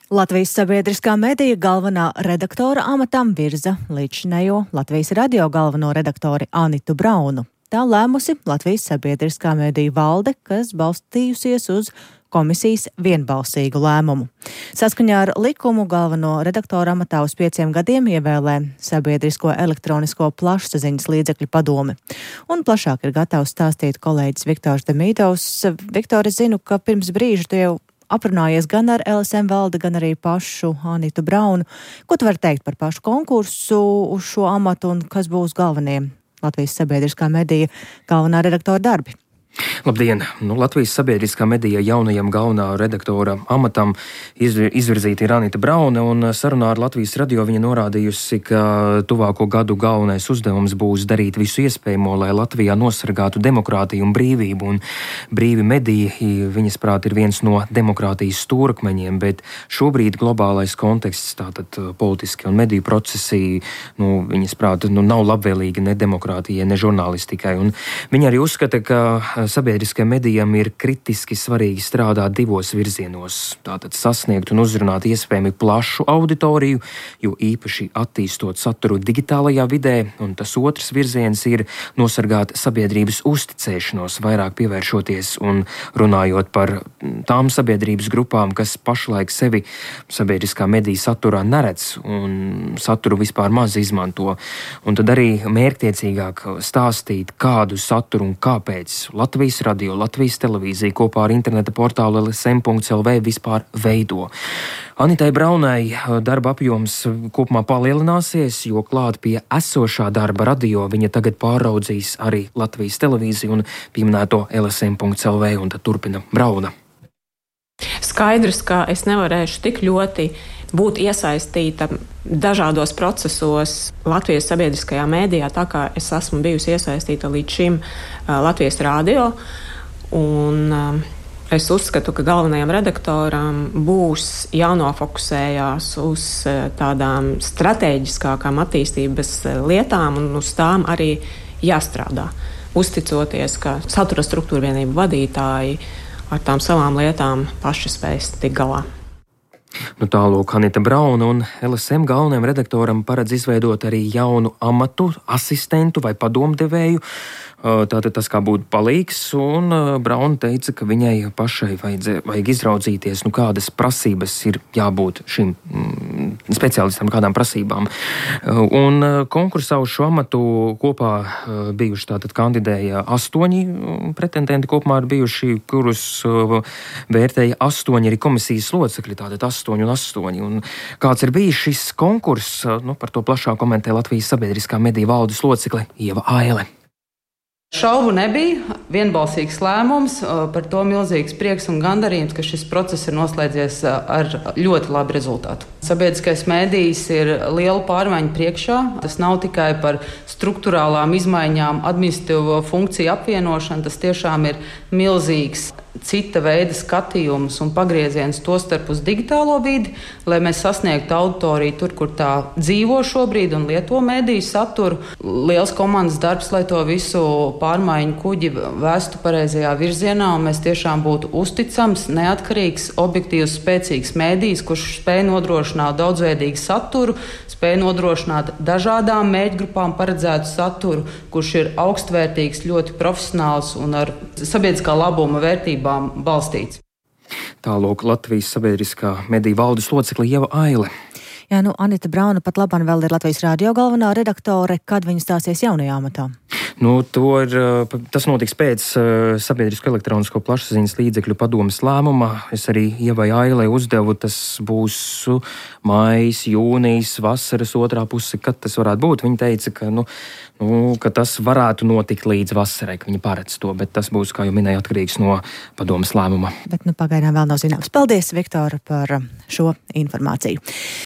Latvijas sabiedriskā medija galvenā redaktora amatam virza līdzinējo Latvijas radio galveno redaktori Anitu Braunu. Tā lēmusi Latvijas sabiedriskā medija valde, kas balstījusies uz komisijas vienbalsīgu lēmumu. Saskaņā ar likumu galveno redaktora amatā uz 5 gadiem ievēlē Sabiedrisko elektronisko plašsaziņas līdzekļu padome. Un plašāk ir gatavs stāstīt kolēģis Viktors Demīdovs. Viktor, es zinu, ka pirms brīža tu jau aprunājies gan ar LSM valdi, gan arī pašu Anitu Braunu. Ko tu vari teikt par pašu konkursu uz šo amatu un kas būs galvenie Latvijas sabiedriskā medija galvenā redaktora darbi? Labdien! Latvijas sabiedriskā medija jaunajam galvenā redaktora amatam izvirzīta ir Anita Brauna, un sarunā ar Latvijas radio viņa norādījusi, ka tuvāko gadu galvenais uzdevums būs darīt visu iespējamo, lai Latvijā nosargātu demokrātiju un brīvību, un brīvi mediji, viņas prāt, ir viens no demokrātijas stūrakmeņiem, bet šobrīd globālais konteksts, tātad politiski un mediju procesi, viņas prāt, nav labvēlīgi ne demokrātijai, ne žurnālistikai, un viņa arī uzskata, ka sabiedriskajiem medijam ir kritiski svarīgi strādāt divos virzienos. Tātad sasniegt un uzrunāt iespējami plašu auditoriju, jo īpaši attīstot saturu digitālajā vidē, un tas otrs virziens ir nosargāt sabiedrības uzticēšanos, vairāk pievēršoties un runājot par tām sabiedrības grupām, kas pašlaik sevi sabiedriskā medija saturā neredz un saturu vispār maz izmanto. Un tad arī mērķtiecīgāk stāstīt, kādu saturu un kāpēc Latvijas radio, Latvijas televīzija kopā ar interneta portālu lsm.lv vispār veido. Anitai Braunai darba apjoms kopumā palielināsies, jo klāt pie esošā darba radio viņa tagad pāraudzīs arī Latvijas televīziju un pieminēto lsm.lv, un tad turpina Brauna. Skaidrs, ka es nevarēšu tik ļoti būt iesaistīta dažādos procesos Latvijas sabiedriskajā mēdījā, tā kā es esmu bijusi iesaistīta līdz šim Latvijas radio. Un es uzskatu, ka galvenajam redaktoram būs jānofokusējās uz tādām strateģiskākām attīstības lietām un uz tām arī jāstrādā. Uzticoties, ka satura struktūra vienību vadītāji ar tām savām lietām paši spēs tikt galā. Tālūk, Anita Brauna, un LSM galvenajam redaktoram paredz izveidot arī jaunu amatu, asistentu vai padomdevēju. Tātad tas kā būtu palīgs, un Brauna teica, ka viņai pašai vajag izraudzīties, kādas prasības ir jābūt šim speciālistam, kādām prasībām. Un konkursā uz šo amatu kopā bijuši tātad kandidēja 8 pretendenti, kopumā ir bijuši, kurus vērtēja 8 arī komisijas locekļi, tātad 8 un 8. Un kāds ir bijis šis konkurss, par to plašāk komentē Latvijas sabiedriskā medija valdes locekle Ieva Aile. Šaubu nebija, vienbalsīgs lēmums, par to milzīgs prieks un gandarījums, ka šis process ir noslēdzies ar ļoti labu rezultātu. Sabiedriskais mēdījis ir liela pārmaiņa priekšā. Tas nav tikai par struktūrālām izmaiņām, administratīvo funkciju apvienošanu, tas tiešām ir milzīgs cita veida skatījums un pagrieziens tostarp uz digitālo vidi, lai mēs sasniegtu auditoriju tur, kur tā dzīvo šobrīd un lieto mediju saturu. Liels komandas darbs, lai to visu pārmaiņu kuģi vēstu pareizajā virzienā, un mēs tiešām būtu uzticams, neatkarīgs, objektīvs, spēcīgs medijs, kurš spēj nodrošināt daudzveidīgu saturu, spēj nodrošināt dažādām mērķgrupām paredzētu saturu, kurš ir augstvērtīgs, ļoti profesionāls un ar sabiedriskā labuma vērtībām balstīts. Tālūk, Latvijas sabiedriskā mediju valdes locekle Ieva Aile. Jā, Anita Brauna pat labāk vēl ir Latvijas radio galvenā redaktore, kad viņa stāsies jaunajā amatā. Tas notiks pēc Sabiedrisko elektronisko plašsaziņas līdzekļu padomes lēmuma. Es arī Ievai Ailei uzdevu, tas būs maijs, jūnijas, vasaras otrā puse, kad tas varētu būt. Viņa teica, ka tas varētu notikt līdz vasarai, ka viņa paredz to, bet tas būs, kā jau minēju, atkarīgs no padomes lēmuma. Bet pagaidām vēl nav zināms. Paldies, Viktor, par šo informāciju.